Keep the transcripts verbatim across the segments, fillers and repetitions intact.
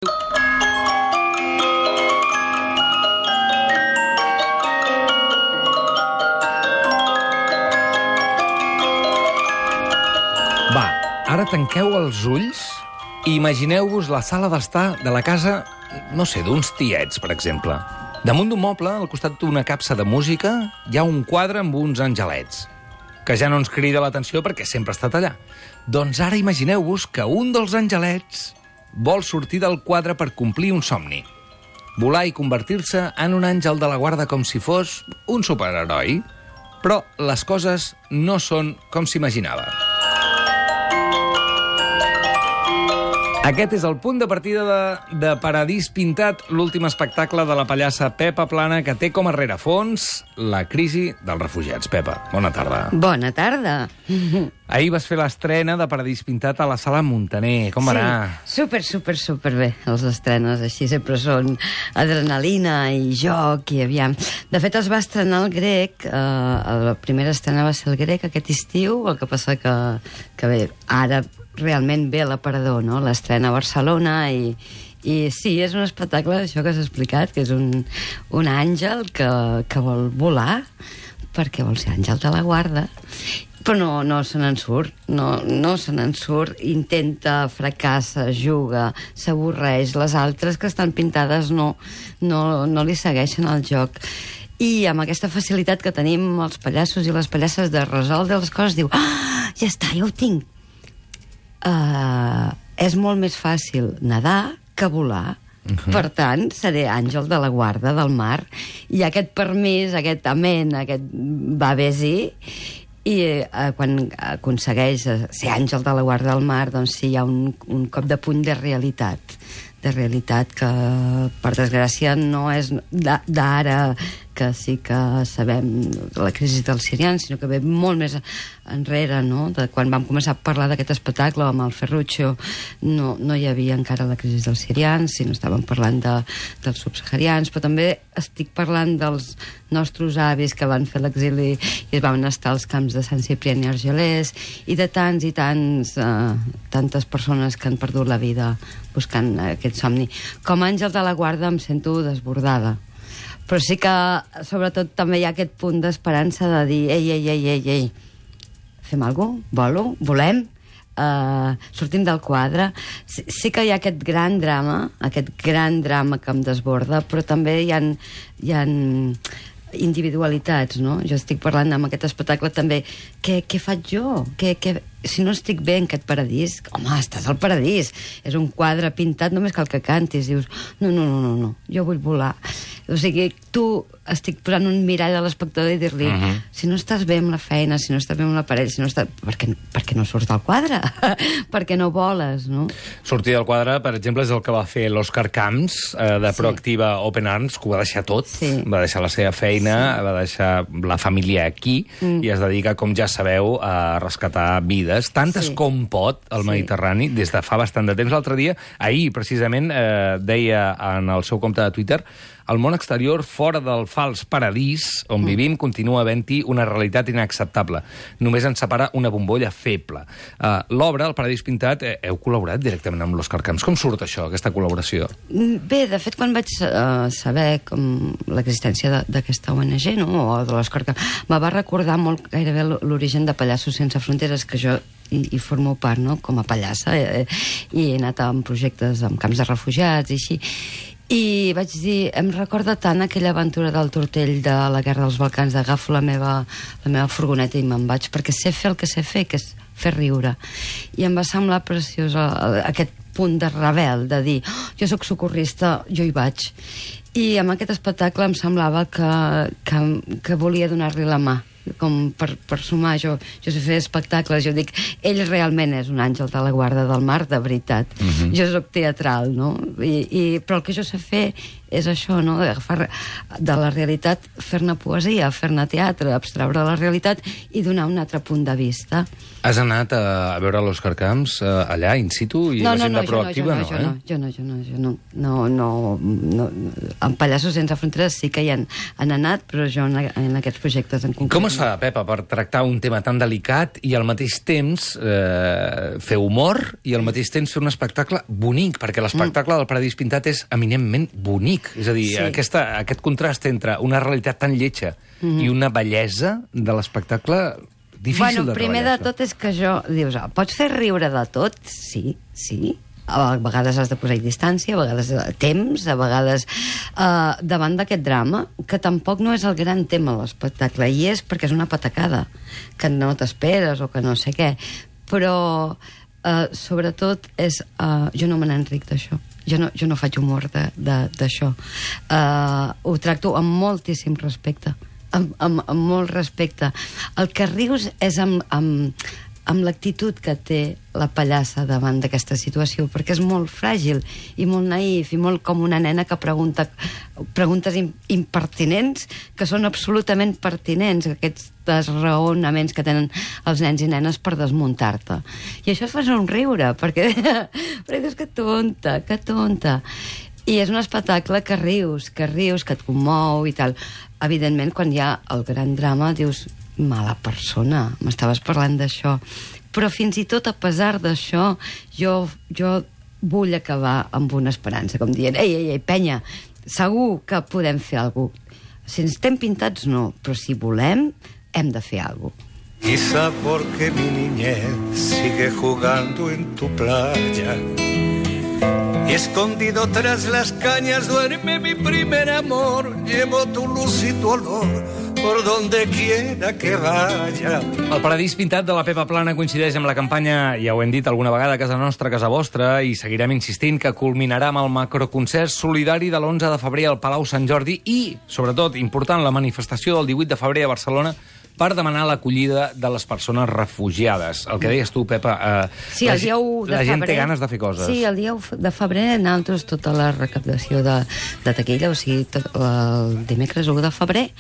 Va, ara tanqueu els ulls i imagineu-vos la sala d'estar de la casa, no sé, d'uns tiets, per exemple. Damunt d'un moble, al costat d'una capsa de música, hi ha un quadre amb uns angelets, que ja no ens crida l'atenció perquè sempre ha estat allà. Doncs ara imagineu-vos que un dels angelets vol sortir del quadre per complir un somni. Volar i convertir-se en un àngel de la guarda com si fos un superheroi. Però les coses no són com s'imaginava. Aquest és el punt de partida de, de Paradís Pintat, l'últim espectacle de la pallassa Pepa Plana, que té com a rerefons la crisi dels refugiats. Pepa, bona tarda. Bona tarda. Ahir vas fer l'estrena de Paradís Pintat a la Sala Muntaner. Com va anar? Sí, super, super, super bé. Els estrenes així sempre són adrenalina i joc i aviam. De fet, es va estrenar el grec, eh, la primera estrena va ser el grec aquest estiu, el que passa que, que bé, ara realment ve l'aparador, no? L'estrena a Barcelona i, i sí, és un espectacle, això que has explicat, que és un, un àngel que, que vol volar perquè vol ser àngel de la guarda, però no, no se n'en surt, no, no se n'en surt, intenta, fracassa, juga, s'avorreix, les altres que estan pintades no, no, no li segueixen el joc. I amb aquesta facilitat que tenim els pallassos i les pallasses de resoldre les coses, diu, ah, ja està, ja ho tinc. Uh, és molt més fàcil nedar que volar. Uh-huh. Per tant, seré àngel de la guarda del mar. I aquest permís, aquest amén, aquest va bé-sí, i uh, quan aconsegueix ser àngel de la guarda del mar, doncs sí, hi ha un, un cop de puny de realitat. De realitat que, per desgràcia, no és d'ara, que sí que sabem la crisi dels sirians, sinó que ve molt més enrere, no? De quan vam començar a parlar d'aquest espectacle amb el Ferruccio, no, no hi havia encara la crisi dels sirians, sinó estàvem parlant de, dels subsaharians, però també estic parlant dels nostres avis que van fer l'exili i es van estar als camps de Sant Ciprià i Argelers, i de tants i tants, eh, tantes persones que han perdut la vida buscant aquest somni. Com a àngel de la guarda em sento desbordada. Però sí que, sobretot, també hi ha aquest punt d'esperança de dir ei, ei, ei, ei, ei, fem alguna cosa? Volo? Volem? Uh, sortim del quadre. Sí, sí que hi ha aquest gran drama, aquest gran drama que em desborda, però també hi ha, hi ha individualitats, no? Jo estic parlant amb aquest espectacle també, què, què faig jo? Què, què... Si no estic bé en aquest paradís, home, estàs al paradís, és un quadre pintat, només cal que cantis, dius, no, no, no, no, no, jo vull volar. O sigui, tu estic posant un mirall a l'espectador i dir-li, uh-huh. si no estàs bé amb la feina, si no estàs bé amb l'aparell, si no estàs... Per què, per què no surts del quadre? Per què no voles, no? Sortir del quadre, per exemple, és el que va fer l'Òscar Camps, eh, de Proactiva sí. Open Arms, que ho va deixar tot, sí. va deixar la seva feina, sí. va deixar la família aquí, mm. i es dedica, com ja sabeu, a rescatar vides, tantes sí. com pot al sí. Mediterrani, des de fa bastant de temps. L'altre dia, ahir, precisament, eh, deia en el seu compte de Twitter, el món exterior, fora del fals paradís on mm. vivim, continua havent-hi una realitat inacceptable. Només ens separa una bombolla feble. Uh, L'obra, El Paradís Pintat, eh, heu col·laborat directament amb l'Òscar Camps. Com surt això, aquesta col·laboració? Bé, de fet, quan vaig uh, saber com l'existència d'aquesta O N G, no?, o de l'Òscar Camps, me va recordar molt gairebé l'origen de Pallassos Sense Fronteres, que jo i, i formo part, no?, com a pallassa, eh, i he anat amb projectes amb camps de refugiats i així. I vaig dir, em recorda tant aquella aventura del tortell de la Guerra dels Balcans, d'agafo la meva, la meva furgoneta i me'n vaig, perquè sé fer el que sé fer, que és fer riure. I em va semblar preciós aquest punt de rebel, de dir, oh, jo sóc socorrista, jo hi vaig. I amb aquest espectacle em semblava que, que, que volia donar-li la mà, com per, per sumar. Jo, jo sé fer espectacles, jo dic, ell realment és un àngel de la guarda del mar, de veritat. Uh-huh. Jo soc teatral, no? I, i, però el que jo sé fer és això, no? Agafar de la realitat, fer-ne poesia, fer-ne teatre, abstreure la realitat i donar un altre punt de vista. Has anat a, a veure l'Òscar Camps allà, in situ, i no, la gent no, no, de Proactiva, no, no, jo eh? no, jo no, jo no, jo no, no, no, no, en Pallassos Sense Fronteres sí que hi han, han anat, però jo en, en aquests projectes en concret. Com es fa, Pepa, per tractar un tema tan delicat i al mateix temps eh, fer humor i al mateix temps fer un espectacle bonic? Perquè l'espectacle del Paradís Pintat és eminentment bonic. És a dir, Sí. aquesta, aquest contrast entre una realitat tan lletja mm-hmm. i una bellesa de l'espectacle difícil bueno, de treballar. primer de tot és que jo, dius, ah, pots fer riure de tot? Sí, sí. A vegades has de posar-hi distància, a vegades temps, a vegades uh, davant d'aquest drama, que tampoc no és el gran tema de l'espectacle, i és perquè és una patacada, que no t'esperes o que no sé què, però uh, sobretot és... Uh, jo no me n'enric d'això. Jo no, jo no faig humor d'això. Uh, ho tracto amb moltíssim respecte. Amb, amb, amb molt respecte. El que rius és amb, amb, amb l'actitud que té la pallassa davant d'aquesta situació, perquè és molt fràgil i molt naïf i molt com una nena que pregunta preguntes impertinents que són absolutament pertinents, aquests raonaments que tenen els nens i nenes per desmuntar-te. I això et fa somriure, perquè, perquè dius que tonta, que tonta. I és un espectacle que rius, que rius, que et commou i tal. Evidentment, quan hi ha el gran drama, dius, mala persona, m'estaves parlant d'això. Però fins i tot a pesar d'això, jo, jo vull acabar amb una esperança, com dient, ei, ei, ei, penya, segur que podem fer alguna cosa. Si estem pintats, no, però si volem, hem de fer alguna cosa. Quizá porque mi niñez sigue jugando en tu playa y escondido tras las cañas duerme mi primer amor. Llevo tu luz y tu olor por donde quiera que vaya. El Paradís Pintat de la Pepa Plana coincideix amb la campanya, ja ho hem dit alguna vegada, Casa Nostra, Casa Vostra, i seguirem insistint que culminarà amb el macroconcert solidari de l'onze de febrer al Palau Sant Jordi i, sobretot, important, la manifestació del divuit de febrer a Barcelona per demanar l'acollida de les persones refugiades. El que deies tu, Pepa, eh, sí, la, el dia u de la gent febrer, té ganes de fer coses. Sí, el dia u de febrer nosaltres tota la recaptació de, de taquilla, o sigui, tot, el dimecres u de febrer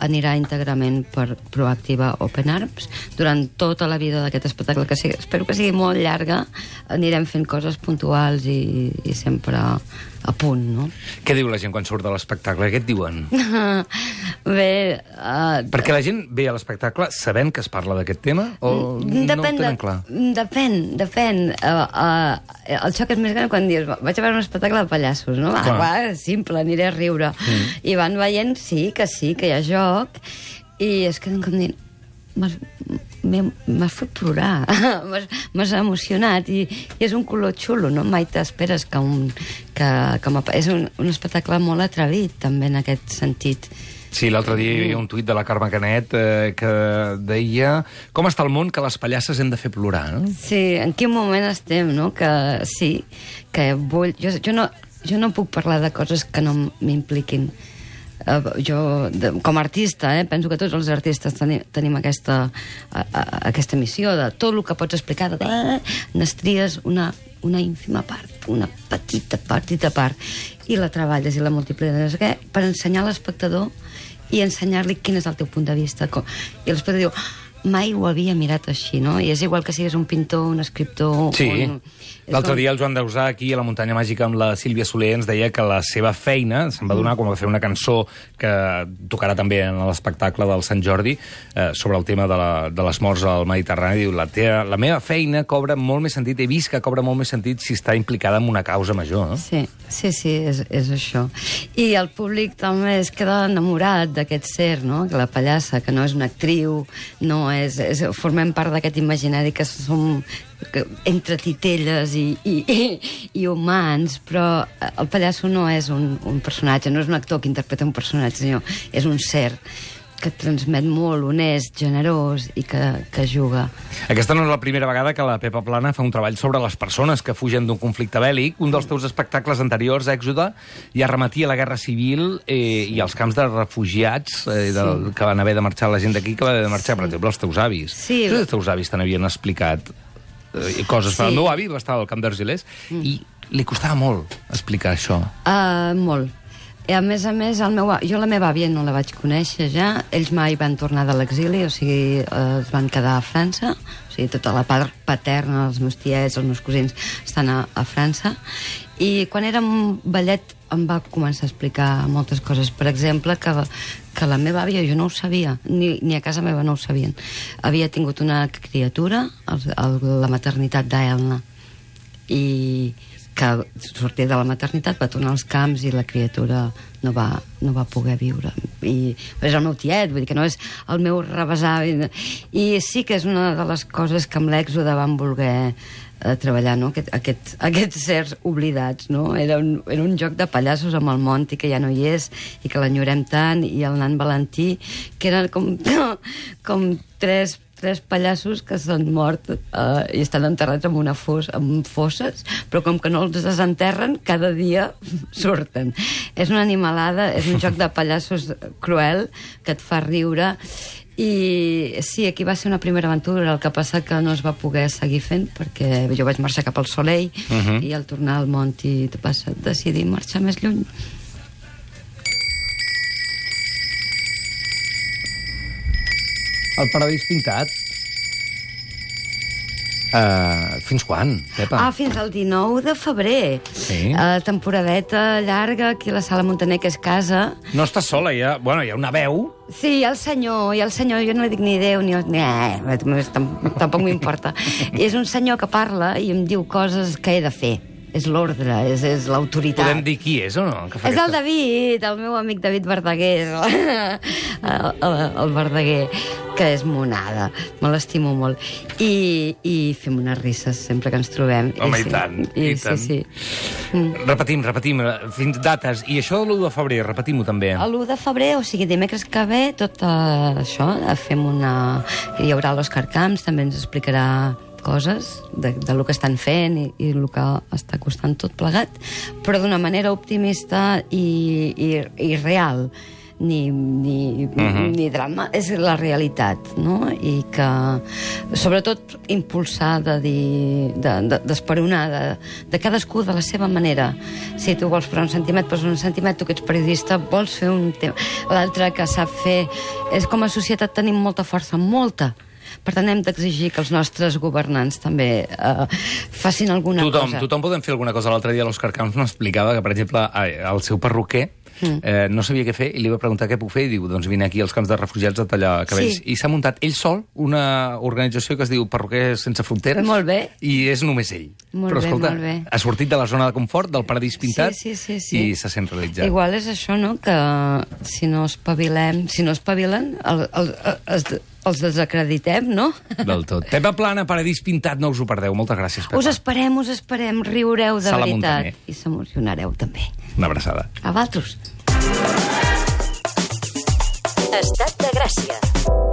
anirà íntegrament per Proactiva Open Arms. Durant tota la vida d'aquest espectacle, que sigui, espero que sigui molt llarga, anirem fent coses puntuals i, i sempre a punt, no? Què diu la gent quan surt de l'espectacle? Què et diuen? Bé... Uh, Perquè la gent ve a l'espectacle sabent que es parla d'aquest tema o depèn, no ho tenen clar? Depèn, depèn. Uh, uh, el xoc és més gran quan dius vaig a veure un espectacle de pallassos, no? Va, va, simple, aniré a riure. Mm. I van veient, sí, que sí, que hi ha joc, i es queden com dient m'has fet plorar, m'has emocionat, i, i és un color xulo, no? Mai t'esperes que un... Que, que és un, un espectacle molt atrevit, també, en aquest sentit. Sí, l'altre dia hi havia un tuit de la Carme Canet eh, que deia com està el món que les pallasses hem de fer plorar, no? Sí, en quin moment estem, no? Que sí, que vull... Jo, jo, no, jo no puc parlar de coses que no m'impliquin. Uh, jo, de, com a artista, eh, penso que tots els artistes tenim, tenim aquesta, uh, uh, aquesta missió de tot el que pots explicar, de, uh, n'estries una, una ínfima part, una petita, petita part, i la treballes i la multipliques per ensenyar a l'espectador i ensenyar-li quin és el teu punt de vista. Com, i l'espectador diu, mai ho havia mirat així, no? I és igual que siguis un pintor, un escriptor... Sí. Un... L'altre com... dia el Joan Dausà, aquí a la Muntanya Màgica amb la Sílvia Soler, ens deia que la seva feina se'n va donar com a fer una cançó que tocarà també en l'espectacle del Sant Jordi eh, sobre el tema de, la, de les morts al Mediterrani. Diu, la, teva, la meva feina cobra molt més sentit, he vist que cobra molt més sentit si està implicada en una causa major, no? Sí, sí, sí, és, és això. I el públic també es queda enamorat d'aquest ser, no? Que la pallassa, que no és una actriu, no és, és formem part d'aquest imaginari que som que, entre titelles i, i, i, i humans, però el pallasso no és un, un personatge, no és un actor que interpreta un personatge, sinó és un ser que transmet molt, honest, generós i que, que juga. Aquesta no és la primera vegada que la Pepa Plana fa un treball sobre les persones que fugen d'un conflicte bèl·lic. Un dels teus espectacles anteriors, Èxode, ja remetia a la Guerra Civil eh, i als camps de refugiats eh, del, sí. que van haver de marxar la gent d'aquí, que va haver de marxar, sí. per exemple, els teus avis. Sí. Els teus avis te n'havien explicat eh, coses. Sí. El meu avi va estar al camp d'Argelers mm. i li costava molt explicar això. Uh, molt. I a més a més, el meu, jo la meva àvia no la vaig conèixer ja, ells mai van tornar de l'exili, o sigui, eh, es van quedar a França, o sigui, tota la part paterna, els meus tiets, els meus cosins, estan a, a França, i quan érem ballet em va començar a explicar moltes coses. Per exemple, que, que la meva àvia, jo no ho sabia, ni, ni a casa meva no ho sabien, havia tingut una criatura, el, el, la maternitat d'Elna, i que sortia de la maternitat, va tornar als camps i la criatura no va, no va poder viure. I és el meu tiet, vull dir que no és el meu rebesavi. I sí que és una de les coses que amb l'èxode van voler eh, treballar, no? Aquest, aquest, aquests certs oblidats, no? Era un, era un joc de pallassos amb el Monti, que ja no hi és, i que l'enyorem tant, i el nan Valentí, que eren com, com tres tres pallassos que s'han mort eh, i estan enterrats en una fossa, en fosses, però com que no els desenterren, cada dia surten. És una animalada, és un joc de pallassos cruel que et fa riure. I sí, aquí va ser una primera aventura, el que passa que no es va poder seguir fent perquè jo vaig marxar cap al Soleil uh -huh. i al tornar al Monti vas decidir marxar més lluny. El Paradís Pintat. Uh, fins quan, Pepa? Ah, fins al dinou de febrer. Sí. Uh, temporadeta llarga, aquí a la Sala Montaner, que és casa. No estàs sola, hi ha, bueno, hi ha una veu. Sí, hi ha el senyor, hi ha el senyor, jo no li dic ni Déu, ni... ni eh, tampoc m'importa. És un senyor que parla i em diu coses que he de fer. És l'ordre, és, és l'autoritat. Podem dir qui és o no? Que fa és aquesta... el David, el meu amic David Verdaguer, el, el, el Verdaguer, que és monada, me l'estimo molt. I, i fem unes risses sempre que ens trobem. Home, i, i sí, tant, i, i tant. Sí, sí. Mm. Repetim, repetim, fins dates. I això de l'u de febrer, repetim-ho també. L'u de febrer, o sigui, dimecres que ve, tot uh, això, fem una... Hi haurà l'Òscar Camps, també ens explicarà coses de, de lo que estan fent i, i el que està costant tot plegat, però d'una manera optimista i, i, i real. Ni, ni, uh -huh. ni drama, és la realitat, no? I que, sobretot, impulsar de dir, d'esperonar, de, de, de cadascú de la seva manera. Si tu vols fer un sentiment, pues un sentiment, tu que ets periodista, vols fer un tema. L'altre que sap fer... És com a societat tenim molta força, molta. Per tant, hem d'exigir que els nostres governants també eh, facin alguna tothom, cosa. Tothom podem fer alguna cosa. L'altre dia l'Òscar Camps m'explicava que, per exemple, el seu perruquer mm. eh, no sabia què fer i li va preguntar què puc fer i diu, doncs vine aquí als camps de refugiats a tallar cabells. Sí. I s'ha muntat ell sol una organització que es diu Perruquers Sense Fronteres. Molt bé. I és només ell. Molt Però, bé, escolta, molt bé. ha sortit de la zona de confort, del Paradís Pintat, sí, sí, sí, sí. i se sent realitzat. Igual és això, no?, que si no espavilem, si no espavilen, el, el, els, els desacreditem, no? Del tot. Pepa Plana, Paradís Pintat, no us ho perdeu. Moltes gràcies, Pepa. Us esperem, us esperem, riureu de Sala veritat. Montaner. I s'emocionareu també. Una abraçada. A vosaltres. Estat de Gràcia.